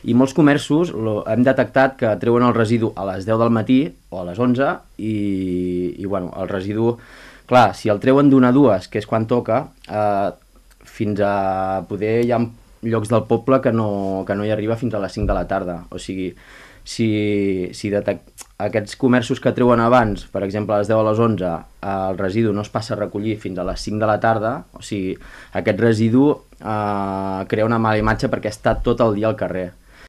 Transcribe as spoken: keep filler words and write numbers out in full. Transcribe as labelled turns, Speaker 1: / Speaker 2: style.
Speaker 1: I molts comerços lo, hem detectat que treuen el residu a les deu del matí o a les onze i, i bueno, el residu, clar, si el treuen d'una a dues, que és quan toca, eh, fins a poder hi ha llocs del poble que no, que no hi arriba fins a les cinc de la tarda. O sigui, si, si detect... aquests comerços que treuen abans, per exemple a les deu a les onze, el residu no es passa a recollir fins a les cinc de la tarda, o sigui, aquest residu eh, crea una mala imatge perquè està tot el dia al carrer.